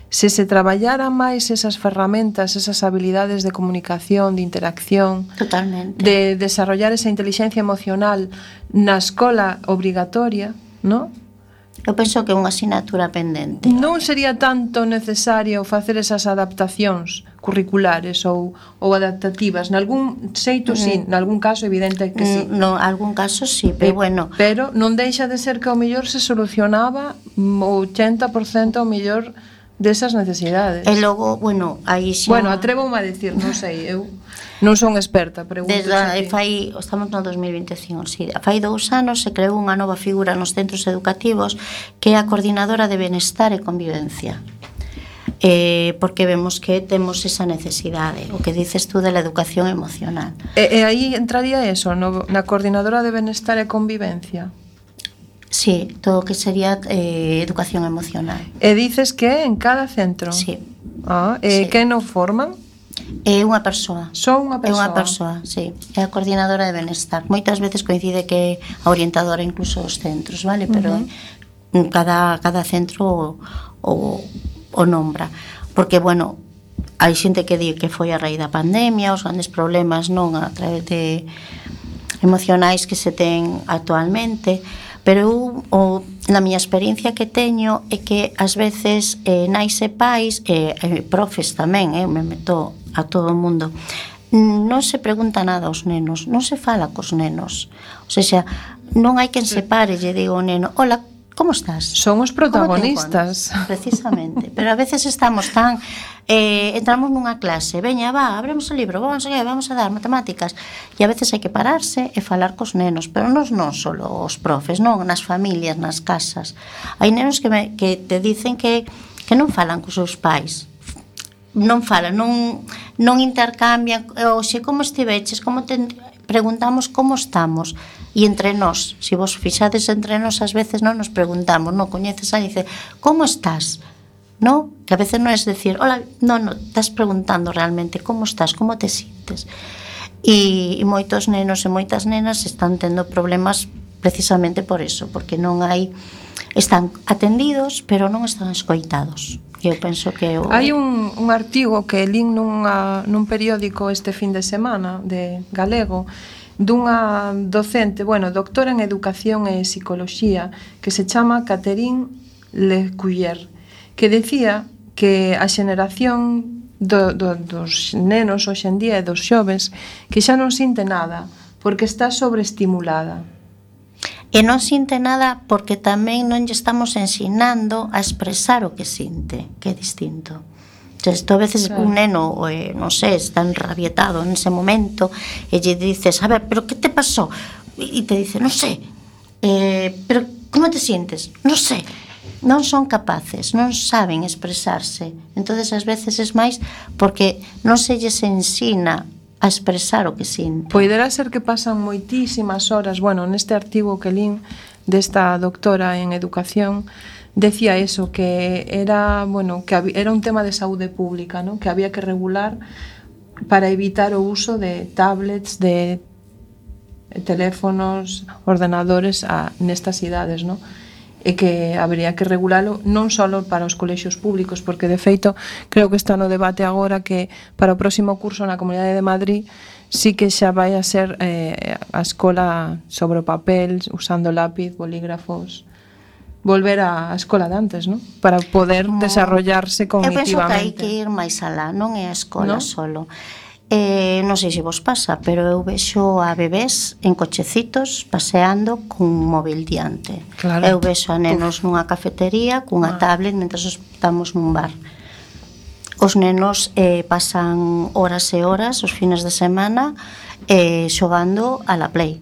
se traballara máis esas ferramentas, esas habilidades de comunicación, de interacción, totalmente, de desarrollar esa inteligencia emocional na escola obrigatoria, non? Eu penso que é unha asignatura pendente. Non sería tanto necesario facer esas adaptacións curriculares ou adaptativas. Nalgún xeito sí, nalgún caso evidente que sí. No, algún caso sí, pero bueno. Pero non deixa de ser que ao mellor se solucionaba o 80% ao mellor desas necesidades. E logo, bueno, aí xa... Bueno, atrevo-me a decir, non sei, eu non son experta, pregunto. Estamos no 2025, sí. Fai 2 anos se creou unha nova figura nos centros educativos que é a coordinadora de benestar e convivencia. Porque vemos que temos esa necesidade, o que dices tú de la educación emocional. E aí entraría eso, na coordinadora de benestar e convivencia. Sí, todo o que sería educación emocional. E dices que en cada centro? Sí. Sí. Que non forman? É unha persoa. Só unha persoa? É unha persoa, sí. É a coordinadora de benestar. Moitas veces coincide que a orientadora incluso os centros, vale? Pero cada centro o nombra. Porque, bueno, hai xente que di que foi a raíz da pandemia, os grandes problemas non a través de emocionais que se ten actualmente, pero na miña experiencia que teño é que ás veces nais e pais profes tamén, me meto a todo o mundo, non se pregunta nada aos nenos, non se fala cos nenos, o sea, non hai quen se pare e diga ao neno, hola, como estás? Son os protagonistas. Precisamente, pero a veces estamos tan entramos nunha clase, veña, abremos o libro, vamos a dar matemáticas, e a veces hai que pararse e falar cos nenos, pero non só os profes, non, nas familias, nas casas. Hai nenos que te dicen que non falan cos seus pais, non falan, non intercambian, oxe, como estiveches, preguntamos como estamos. E entre nós, se vos fixades entre nós, ás veces non nos preguntamos, non coñeces a dice, como estás? Non? Que a veces non é decir, hola, non, estás preguntando realmente como estás, como te sientes. E moitos nenos e moitas nenas están tendo problemas precisamente por eso, porque non hai, están atendidos, pero non están escoitados. Eu penso que hai un artigo que lín nun periódico este fin de semana de galego, dunha docente, doctora en Educación e Psicoloxía, que se chama Catherine Lecuyer, que decía que a xeneración dos nenos hoxe en día e dos xoves que xa non sinte nada porque está sobreestimulada. E non sinte nada porque tamén non lle estamos ensinando a expresar o que sinte, que é distinto. Entón, a veces un neno, non sei, está enrabietado en ese momento e lle dices, a ver, pero que te pasó? E te dice, non sei, pero como te sientes? Non sei. non son capaces, non saben expresarse. Entonces ás veces é máis porque non se lles ensina a expresar o que sinten. Poderá ser que pasan moitísimas horas, bueno, neste artigo que lín desta doctora en educación decía eso, que era, bueno, que era un tema de saúde pública, ¿no? Que había que regular para evitar o uso de tablets, de teléfonos, ordenadores nestas idades, ¿no? E que habería que regulalo non só para os colexios públicos, porque de feito creo que está no debate agora que para o próximo curso na Comunidade de Madrid sí que xa vai a ser a escola sobre o papel, usando lápiz, bolígrafos, volver á escola de antes, ¿no? Para poder desarrollarse cognitivamente. Eu penso que hai que ir máis alá, non é a escola solo. Non sei se vos pasa, pero eu vexo a bebés en cochecitos paseando cun móvil diante. Claro. Eu vexo a nenos nunha cafetería cunha tablet mentre estamos nun bar. Os nenos pasan horas e horas os fines de semana xogando a la Play.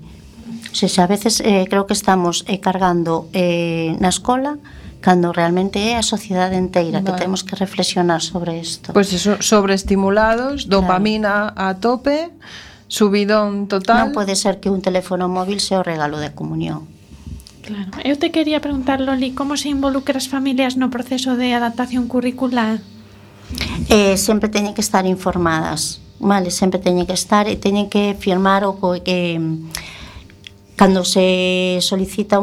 O sea, a veces creo que estamos cargando na escola cando realmente é a sociedade inteira que temos que reflexionar sobre isto. Pois eso, sobreestimulados, dopamina a tope, subidón total. Non pode ser que un teléfono móvil sea o regalo de comunión. Claro. Eu te quería preguntar, Loli, como se involucra as familias no proceso de adaptación curricular? Sempre teñen que estar informadas, vale? Sempre teñen que estar e teñen que firmar o que cando se solicita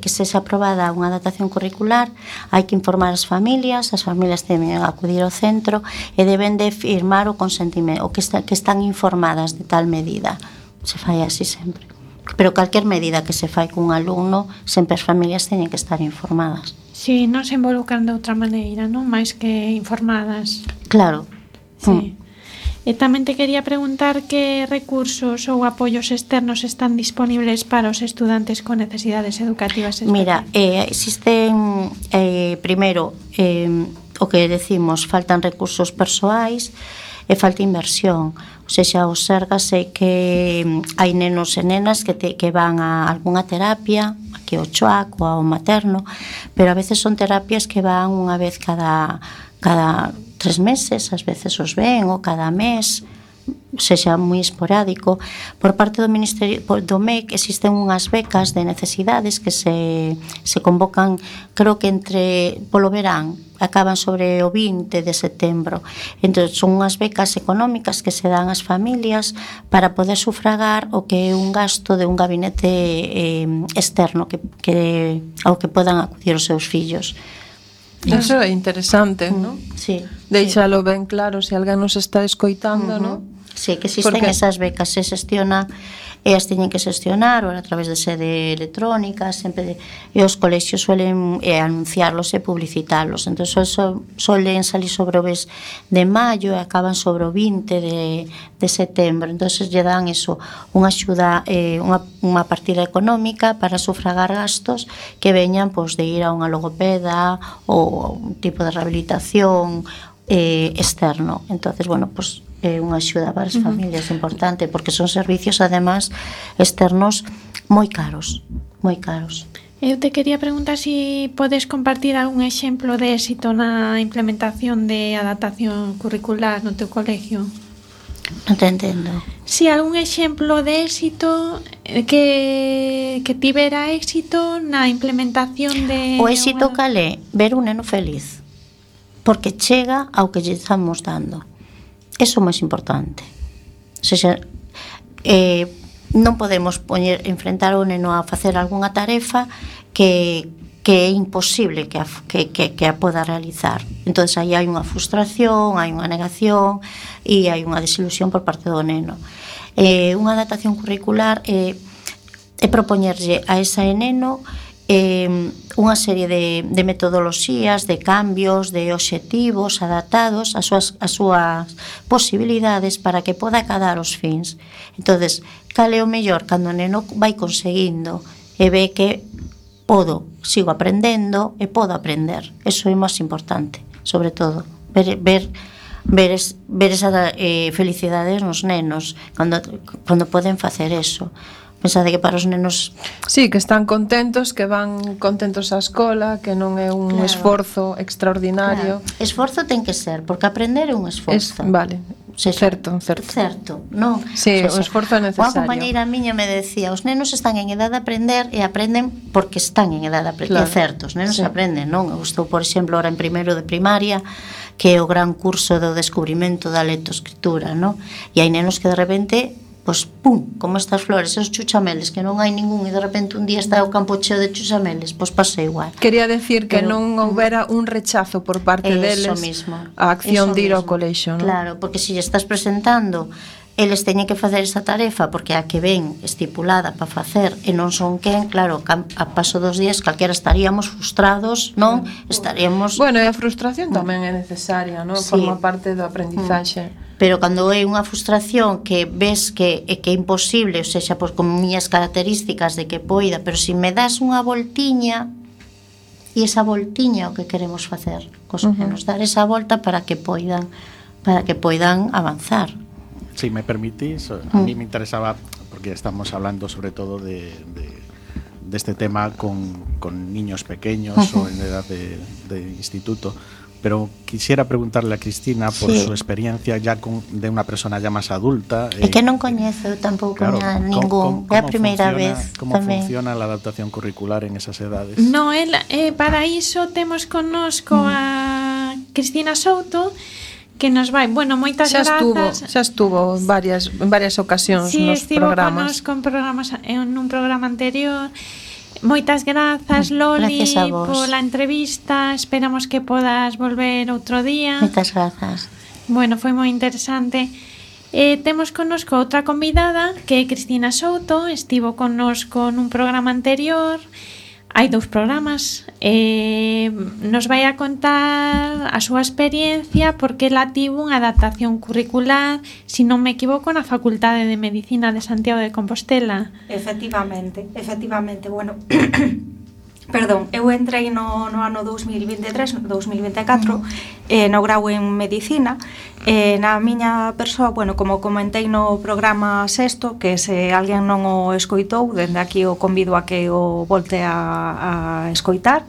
que se aprobada unha adaptación curricular, hai que informar as familias deben acudir ao centro e deben de firmar o consentimento, que están informadas de tal medida. Se fai así sempre. Pero calquer medida que se fai cun alumno, sempre as familias teñen que estar informadas. Si, non se involucran de outra maneira, non? Mais que informadas. Claro. Sí. E tamén te quería preguntar que recursos ou apoios externos están disponibles para os estudantes con necesidades educativas especiales. Mira, existen, primeiro, o que decimos, faltan recursos persoais e falta inversión. O sea, os Sergas sei que hai nenos e nenas que van a algunha terapia, aquí ao choac ou ao materno, pero a veces son terapias que van unha vez cada 3 meses, ás veces os ven, ou cada mes, sexa moi esporádico. Por parte do Ministerio do MEC existen unhas becas de necesidades que se convocan, creo que polo verán, acaban sobre o 20 de setembro. Entón, son unhas becas económicas que se dan ás familias para poder sufragar o que é un gasto de un gabinete externo ao que podan acudir os seus fillos. Eso é interesante, ¿no? Sí. Deixalo ben claro se alguén nos está escoitando, ¿no? Sí, que existen esas becas, se xestionan, as teñen que xestionar ou a través de sede electrónica, sempre e os colexios suelen anunciarlos e publicitalos. Entón, solen salir sobre o mes de maio e acaban sobre o 20 de setembro. Entón, lle dan eso, unha axuda, unha partida económica para sufragar gastos que veñan de ir a unha logopeda ou un tipo de rehabilitación externo. Entonces, bueno, é unha axuda para as familias importante, porque son servicios además externos moi caros, moi caros. Eu te quería preguntar si podes compartir algún exemplo de éxito na implementación de adaptación curricular no teu colegio. Non te entendo. Si algún exemplo de éxito que tivera éxito na implementación de... O éxito cal é? Ver un neno feliz, porque chega ao que lle estamos dando. Eso é máis importante. O sea, non podemos enfrentar o neno a facer algunha tarefa que é imposible que a poda realizar. Entón, aí hai unha frustración, hai unha negación e hai unha desilusión por parte do neno. Unha adaptación curricular é propoñerlle a ese neno unha serie de metodoloxías, de cambios, de obxectivos adaptados ás súas posibilidades para que poda acadar os fins. Entonces, cal é o mellor cando o neno vai conseguindo e ve que sigo aprendendo e podo aprender. Eso é máis importante, sobre todo, ver esa felicidade nos nenos cando poden facer eso. Pensade que para os nenos... Sí, que están contentos, que van contentos á escola, que non é un esforzo extraordinario. Claro. Esforzo ten que ser, porque aprender é un esforzo. Vale, certo. Non? Sí, o esforzo é necesario. Unha compañeira miña me decía, os nenos están en edad de aprender e aprenden porque están en edad de aprender. Claro. É certo, os nenos aprenden, non? Eu estou, por exemplo, ahora en primeiro de primaria, que é o gran curso do descubrimento da lectoescritura, non? E hai nenos que de repente, pois, pum, como estas flores, esos chuchameles, que non hai ningún, e de repente un día está o campo cheo de chuchameles, pois pasa igual. Quería decir que non houbera un rechazo por parte deles a acción de ir ao colexio, non? Claro, porque se lle estás presentando, eles teñen que facer esa tarefa porque a que ven estipulada para facer e non son quen, claro, a paso dos días calquera estaríamos frustrados, non? Estaríamos... Bueno, e a frustración tamén é necesaria, non? Sí. Forma parte do aprendizaxe. Pero cando é unha frustración que ves que é imposible, ou seja, pois con miñas características de que poida, pero se me das unha voltiña, e esa voltiña o que queremos facer, cos nenos, dar esa volta para que poidan avanzar. Si me permitís, a mí me interesaba, porque estamos hablando sobre todo de este tema con niños pequeños o en edad de instituto, pero quisiera preguntarle a Cristina por su experiencia ya de una persona ya más adulta. É que non coñezo tampouco a ningún, é a primeira vez. Como funciona la adaptación curricular en esas edades? No, para iso temos connosco a Cristina Souto, que nos vai, bueno, moitas grazas. Xa estuvo en varias ocasións nos programas. En un programa anterior. Moitas grazas, Loli, pola entrevista. Esperamos que podas volver outro día. Moitas grazas. Bueno, foi moi interesante. Temos connosco outra convidada, que é Cristina Souto. Estivo connosco nun programa anterior. Hai 2 programas. Nos vai a contar a súa experiencia porque ela tivo unha adaptación curricular, se non me equivoco, na Facultade de Medicina de Santiago de Compostela. Efectivamente. Bueno, perdón, eu entrei no ano 2023-2024 no grau en Medicina. Na miña persoa, bueno, como comentei no programa sexto, que se alguén non o escoitou, dende aquí o convido a que o volte a escoitar.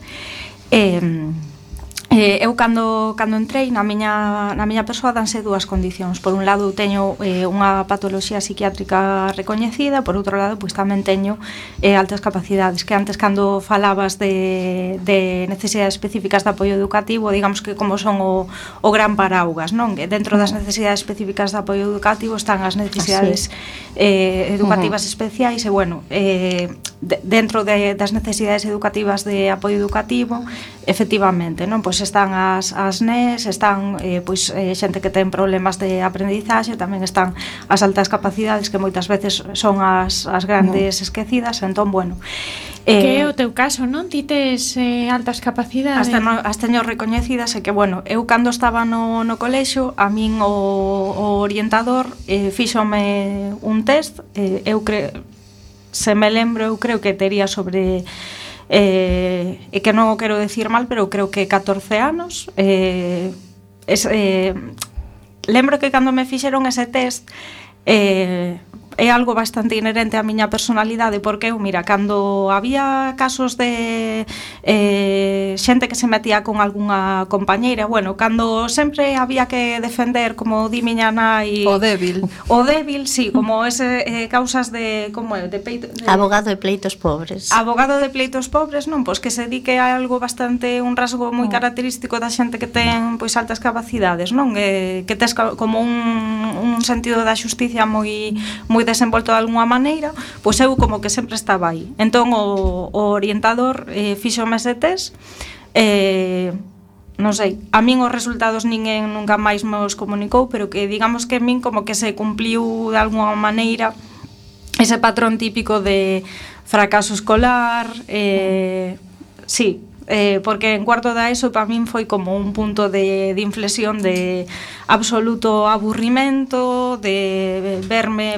Eu cando entrei na miña persoa danse 2 condicións. Por un lado teño unha patoloxía psiquiátrica recoñecida, por outro lado pois tamén teño altas capacidades, que antes cando falabas de necesidades específicas de apoio educativo, digamos que como son o gran paraugas, non? Que dentro das necesidades específicas de apoio educativo están as necesidades educativas especiais e bueno, dentro das necesidades educativas de apoio educativo, efectivamente, non? Pois están as NES, están xente que ten problemas de aprendizaxe, tamén están as altas capacidades que moitas veces son as grandes esquecidas, entón, bueno, que é o teu caso, non? Ti tes altas capacidades. As teño recoñecidas e que, bueno, eu cando estaba no colexio, a min o orientador fíxome un test, se me lembro, eu creo que tería sobre e que non o quero decir mal, pero creo que 14 anos. Lembro que cando me fixeron ese test é algo bastante inherente á miña personalidade, porque eu, mira, cando había casos de xente que se metía con algunha compañeira, bueno, cando sempre había que defender, como di miña nai, o débil, sí, como ese causas de, como é, de peito, abogado de pleitos pobres. Abogado de pleitos pobres, non, pois que se di que é algo bastante, un rasgo moi característico da xente que ten pois altas capacidades, non? Que tes como un sentido da xusticia moi desenvolto de alguna maneira, pois eu como que sempre estaba aí. Entón o orientador fíxome ese test, non sei, a min os resultados ninguén nunca máis me os comunicou, pero que digamos que a min como que se cumpliu de alguna maneira ese patrón típico de fracaso escolar, sí, porque en cuarto da ESO para min foi como un punto de inflexión de absoluto aburrimento, de verme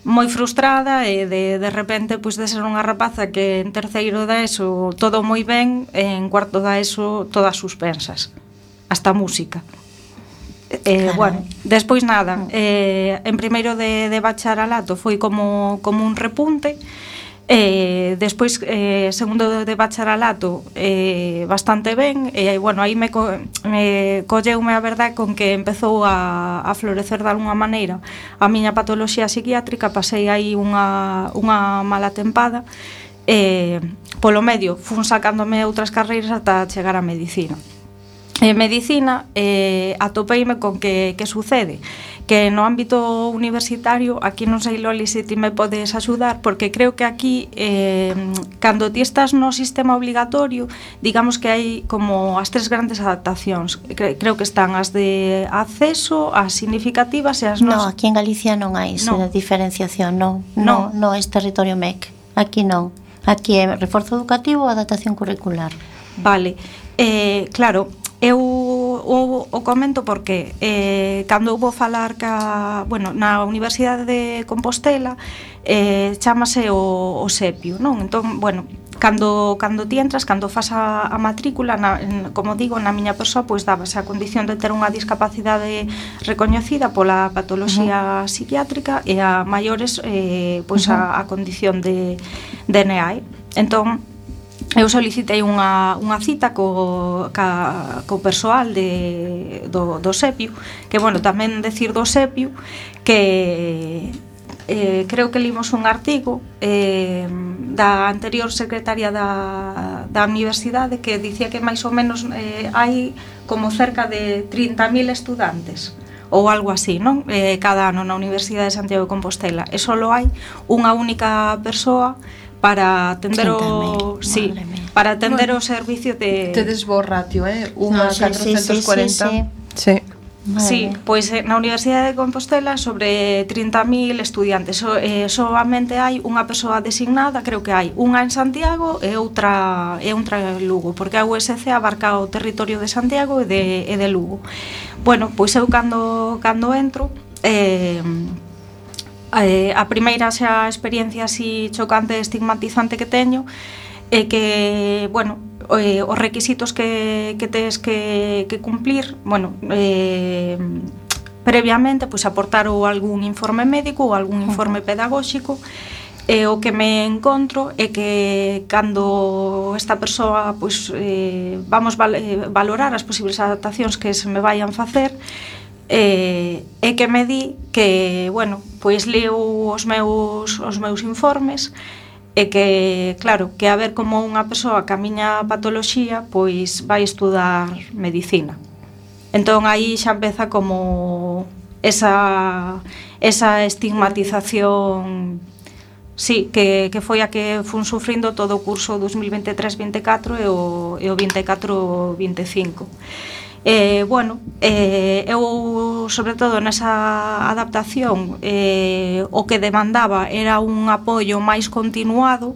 moi frustrada e de repente pois de ser unha rapaza que en terceiro da ESO todo moi ben, en cuarto da ESO todas suspensas, hasta música. Bueno, despois nada, en primeiro de bacharelato foi como un repunte. Despois, segundo de bacharelato, bastante ben. Bueno, aí me colleume a verdade con que empezou a florecer de alguna maneira a miña patoloxía psiquiátrica. Pasei aí unha mala tempada. Polo medio fun sacándome outras carreiras ata chegar á medicina. En medicina atopeime con que sucede que no ámbito universitario, aquí non sei, Loli, se ti me podes axudar, porque creo que aquí cando ti estás no sistema obligatorio, digamos que hai como as tres grandes adaptacións. Creo que están as de acceso, as significativas e as No, aquí en Galicia non hai esa diferenciación, non é territorio MEC, aquí non. Aquí é reforzo educativo ou adaptación curricular. Vale, claro, eu o comento porque cando vou falar na Universidade de Compostela chámase o SEPIO, non? Entón, bueno, cando ti entras, cando fas a matrícula, como digo, na miña persoa, pois dábase a condición de ter unha discapacidade recoñecida pola patoloxía psiquiátrica e a maiores pois a condición de NEAE. Entón, eu solicitei unha cita co persoal do SEPIO, que, bueno, tamén decir do SEPIO que creo que limos un artigo da anterior secretaria da universidade que dicía que máis ou menos hai como cerca de 30.000 estudantes ou algo así, non? Cada ano na Universidade de Santiago de Compostela, e só hai unha única persoa para atender para atender o servicio de... Tedes bo ratio, unha 440. Sí. Sí, pois na Universidade de Compostela sobre 30.000 estudiantes, solamente hai unha persoa designada, creo que hai unha en Santiago e outra en Lugo, porque a USC abarca o territorio de Santiago e de Lugo. Bueno, pois eu cando entro, a primeira xa experiencia así chocante e estigmatizante que teño é que, bueno, os requisitos que tes que cumplir, bueno, previamente, pois aportar ou algún informe médico ou algún informe pedagóxico. O que me encontro é que cando esta persoa, pois, vamos valorar as posibles adaptacións que se me vayan facer, é que me di que, bueno, pois leo os meus informes e que, claro, que a ver como unha persoa que a miña patoloxía pois vai estudar medicina. Entón aí xa empeza como esa estigmatización, sí, que foi a que fun sufrindo todo o curso 2023-24 e o 24-25. Bueno, eu sobre todo nesa adaptación o que demandaba era un apoio máis continuado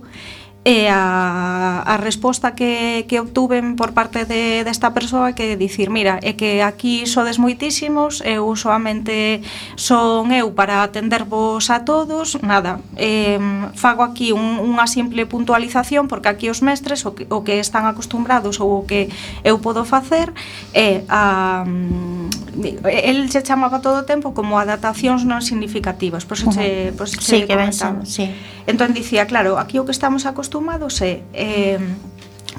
e a resposta que obtuven por parte desta persoa que dicir, mira, é que aquí sodes moitísimos, eu solamente son eu para atendervos a todos, nada, fago aquí unha simple puntualización porque aquí os mestres o que están acostumbrados ou o que eu podo facer é el se chamaba todo o tempo como adaptacións non significativas, por eso sí, que comentaba. Sí. Entón dicía, claro, aquí o que estamos acostumados é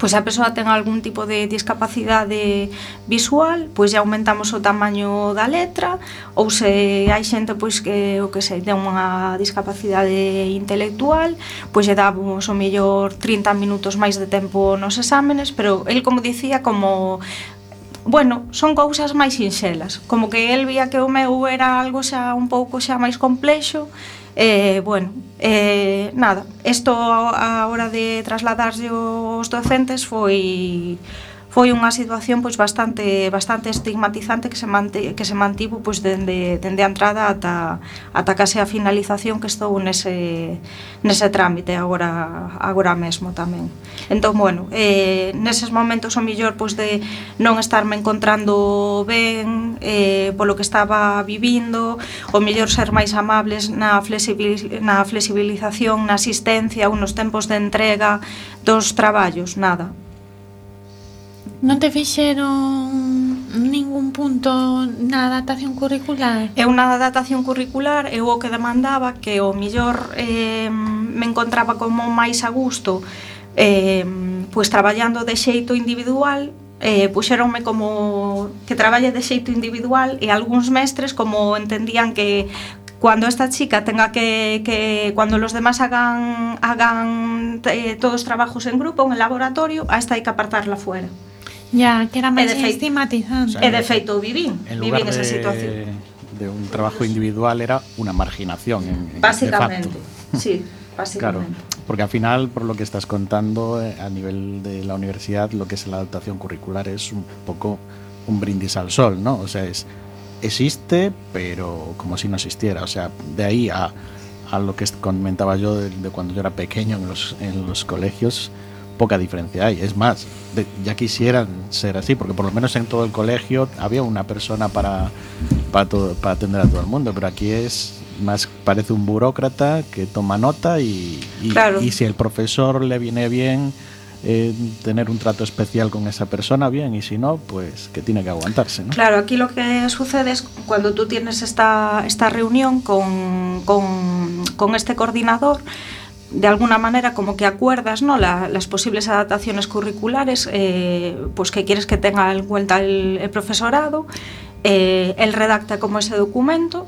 pois a persoa ten algún tipo de discapacidade visual, pois já aumentamos o tamaño da letra, ou se hai xente pois que o que sei, ten unha discapacidade intelectual, pois lle damos o mellor 30 minutos máis de tempo nos exámenes, pero el como dicía como bueno, son cousas máis sinxelas, como que el vía que o meu era algo xa un pouco xa máis complexo. Bueno, nada, isto a hora de trasladarlle os docentes foi unha situación pois bastante estigmatizante que se mantivo pois dende a entrada ata case a finalización, que estou nese trámite agora mesmo tamén. Entón, bueno, neses momentos o mellor pois de non estarme encontrando ben polo que estaba vivindo, o mellor ser máis amables na flexibilización, na asistencia ou nos tempos de entrega dos traballos, nada. Non te fixeron ningún punto na adaptación curricular? Eu na adaptación curricular eu o que demandaba que o millor me encontraba como máis a gusto pois traballando de xeito individual. Puxeronme como que traballe de xeito individual e algúns mestres como entendían que cuando esta chica tenga que cuando los demás hagan todos trabajos en grupo, en el laboratorio, a esta hai que apartarla fuera. Ya, que era máis estigmatizante. E de feito vivín esa situación. De un trabajo individual era una marginación básicamente, de facto. Sí, básicamente. Claro, porque al final, por lo que estás contando, a nivel de la universidad, lo que es la adaptación curricular es un poco un brindis al sol, ¿no? O sea, existe, pero como si no existiera. O sea, de ahí a lo que comentaba yo de cuando yo era pequeño en los colegios, poca diferencia hay. Es más, ya quisieran ser así, porque por lo menos en todo el colegio había una persona para atender a todo el mundo, pero aquí es más, parece un burócrata que toma nota y si el profesor le viene bien tener un trato especial con esa persona, bien, y si no, pues que tiene que aguantarse, ¿no? Claro, aquí lo que sucede es cuando tú tienes esta reunión con este coordinador, de alguna manera como que acuerdas, ¿no?, las posibles adaptaciones curriculares pues que quieres que tenga en cuenta el profesorado. Él redacta como ese documento.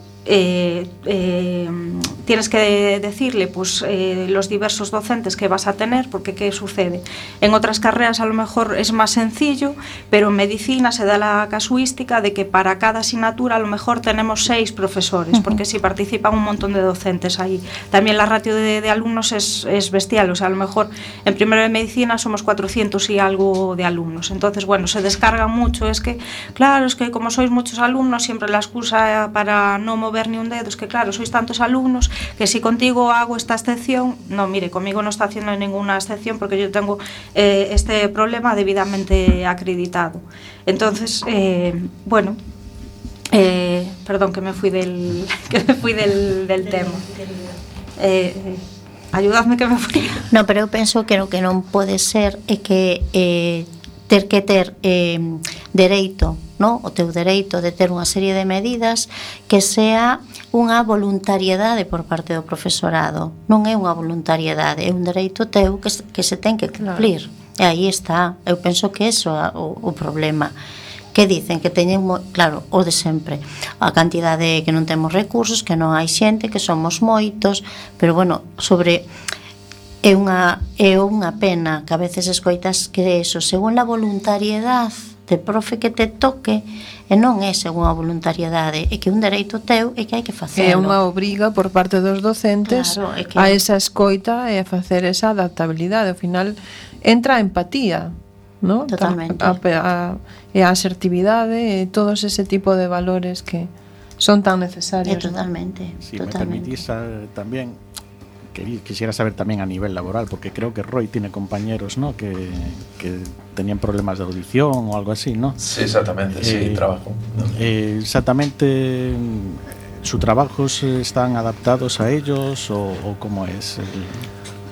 Tienes que decirle pues los diversos docentes que vas a tener, porque ¿qué sucede? En otras carreras a lo mejor es más sencillo, pero en medicina se da la casuística de que para cada asignatura a lo mejor tenemos 6 profesores, porque si participan un montón de docentes ahí. También la ratio de alumnos es bestial, o sea, a lo mejor en primero de medicina somos 400 y algo de alumnos. Entonces, bueno, se descarga mucho. Es que, claro, es que como sois muchos alumnos, siempre la excusa para no mover ni un dedo es que, claro, sois tantos alumnos que si contigo hago esta excepción, no, mire, conmigo no está haciendo ninguna excepción porque yo tengo este problema debidamente acreditado. Entonces, bueno, perdón que me fui del tema. Ayudadme que me fui. No, pero eu penso que o que non pode ser é que ter dereito, no? O teu dereito de ter unha serie de medidas que sea unha voluntariedade por parte do profesorado. Non é unha voluntariedade, é un dereito teu que se ten que cumplir. Claro. E aí está. Eu penso que eso é o problema. Que dicen que teñen, claro, o de sempre, a cantidade que non temos recursos, que non hai xente, que somos moitos, pero bueno, é unha pena que a veces escoitas que eso, según a voluntariedade de profe que te toque, e non é según a voluntariedade, é que un dereito teu é que hai que facelo. É unha obriga por parte dos docentes, claro, a esa escoita e a facer esa adaptabilidade. Ao final entra a empatía, ¿no? Totalmente. E a asertividade e todos ese tipo de valores que son tan necesarios. Totalmente. Si me permitís también, quisiera saber también a nivel laboral, porque creo que Roy tiene compañeros, ¿no?, que tenían problemas de audición o algo así, ¿no? Sí, exactamente, sí, trabajo. Exactamente, ¿sus trabajos están adaptados a ellos o cómo es?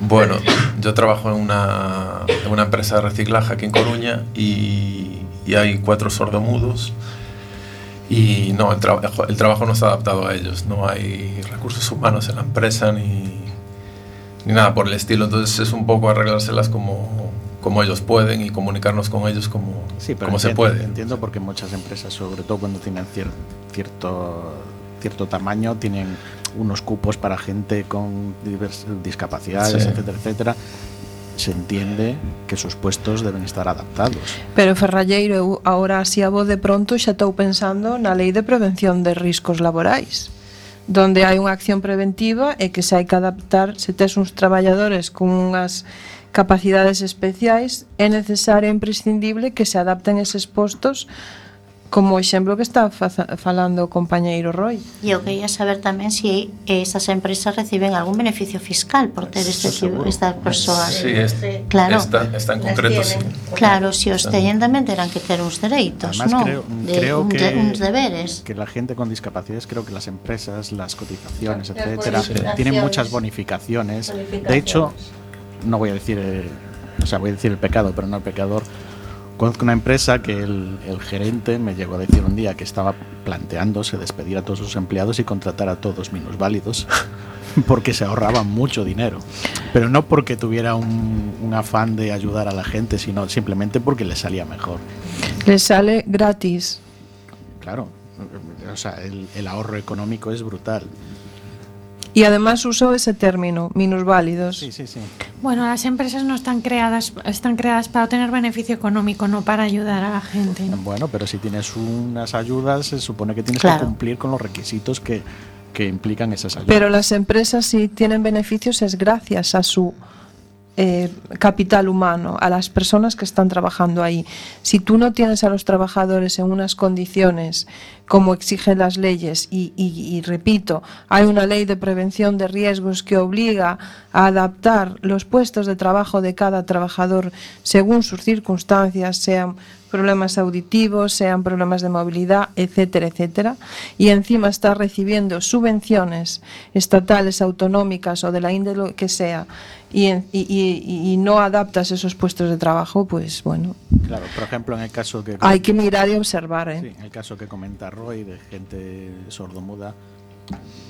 Bueno, yo trabajo en una empresa de reciclaje aquí en Coruña y hay 4 sordomudos. Y no, el trabajo no está adaptado a ellos, no hay recursos humanos en la empresa ni nada por el estilo, entonces es un poco arreglárselas como ellos pueden y comunicarnos con ellos como se puede. Entiendo, porque muchas empresas, sobre todo cuando tienen cierto tamaño, tienen unos cupos para gente con diversas discapacidades, sí, etcétera, etcétera. Se entiende que sus puestos deben estar adaptados. Pero Ferralleiro, eu agora así a voz de pronto xa estou pensando na Lei de Prevención de Riscos Laborais, donde hai unha acción preventiva e que se hai que adaptar. Se tes uns traballadores con unhas capacidades especiais, é necesario e imprescindible que se adapten eses postos, como o exemplo que está falando o compañeiro Roy. E eu quería saber tamén se esas empresas reciben algún beneficio fiscal por ter estas persoas. Sí, claro. Esta en concreto, sí. Claro, se os teñen tamén terán que ter uns dereitos, ¿no? Creo que uns deberes. Que la gente con discapacidades, creo que las empresas, las cotizaciones, etcétera, tienen muchas bonificaciones. De hecho, no voy a decir, voy a decir el pecado, pero no el pecador. Conozco una empresa que el gerente me llegó a decir un día que estaba planteándose despedir a todos sus empleados y contratar a todos minusválidos porque se ahorraban mucho dinero. Pero no porque tuviera un afán de ayudar a la gente, sino simplemente porque les salía mejor. Les sale gratis. Claro, o sea, el ahorro económico es brutal. Y además usó ese término, minusválidos. Sí, sí, sí. Bueno, las empresas no están creadas para obtener beneficio económico, no para ayudar a la gente. Bueno, pero si tienes unas ayudas, se supone que tienes Claro. que cumplir con los requisitos que implican esas ayudas. Pero las empresas, si tienen beneficios, es gracias a su capital humano, a las personas que están trabajando ahí. Si tú no tienes a los trabajadores en unas condiciones como exigen las leyes y repito, hay una ley de prevención de riesgos que obliga a adaptar los puestos de trabajo de cada trabajador según sus circunstancias, sean problemas auditivos, sean problemas de movilidad, etcétera, etcétera, y encima está recibiendo subvenciones estatales, autonómicas o de la índole que sea, y no adaptas esos puestos de trabajo, pues bueno. Claro, por ejemplo, en el caso que... Hay que mirar y observar, ¿eh? Sí, en el caso que comenta Roy, de gente sordomuda,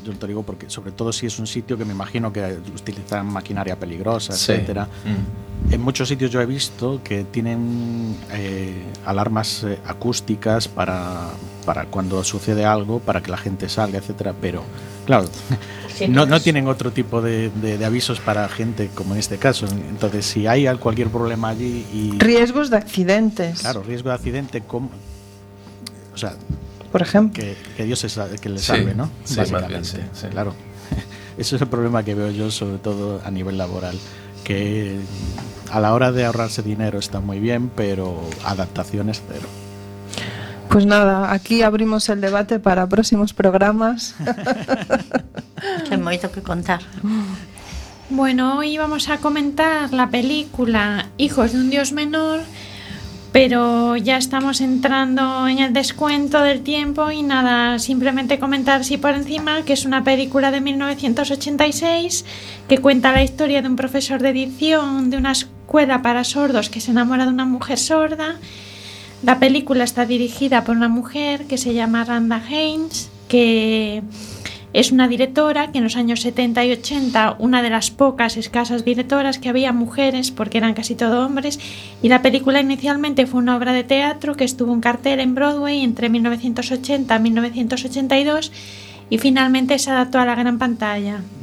yo te digo porque sobre todo si es un sitio que me imagino que utilizan maquinaria peligrosa, Sí. etcétera. En muchos sitios yo he visto que tienen alarmas acústicas para cuando sucede algo, para que la gente salga, etcétera, pero claro, Sí, no pues. tienen otro tipo de avisos para gente como en este caso. Entonces, si hay cualquier problema allí y... Riesgos de accidentes. Claro, riesgo de accidente, o sea, por ejemplo. que Dios que le Sí, salve, ¿no? sí, más Básicamente, bien, sí, sí. Claro. Eso es el problema que veo yo, sobre todo a nivel laboral, que a la hora de ahorrarse dinero está muy bien, pero adaptaciones cero. Pues nada, aquí abrimos el debate para próximos programas. Hai moito que contar. Bueno, hoy vamos a comentar la película Hijos de un Dios Menor, pero ya estamos entrando en el descuento del tiempo y nada, simplemente comentar así por encima que es una película de 1986 que cuenta la historia de un profesor de edición de una escuela para sordos que se enamora de una mujer sorda. La película está dirigida por una mujer que se llama Randa Haynes, que es una directora que en los años 70 y 80, una de las pocas escasas directoras que había mujeres, porque eran casi todo hombres, y la película inicialmente fue una obra de teatro que estuvo en cartel en Broadway entre 1980 y 1982 y finalmente se adaptó a la gran pantalla.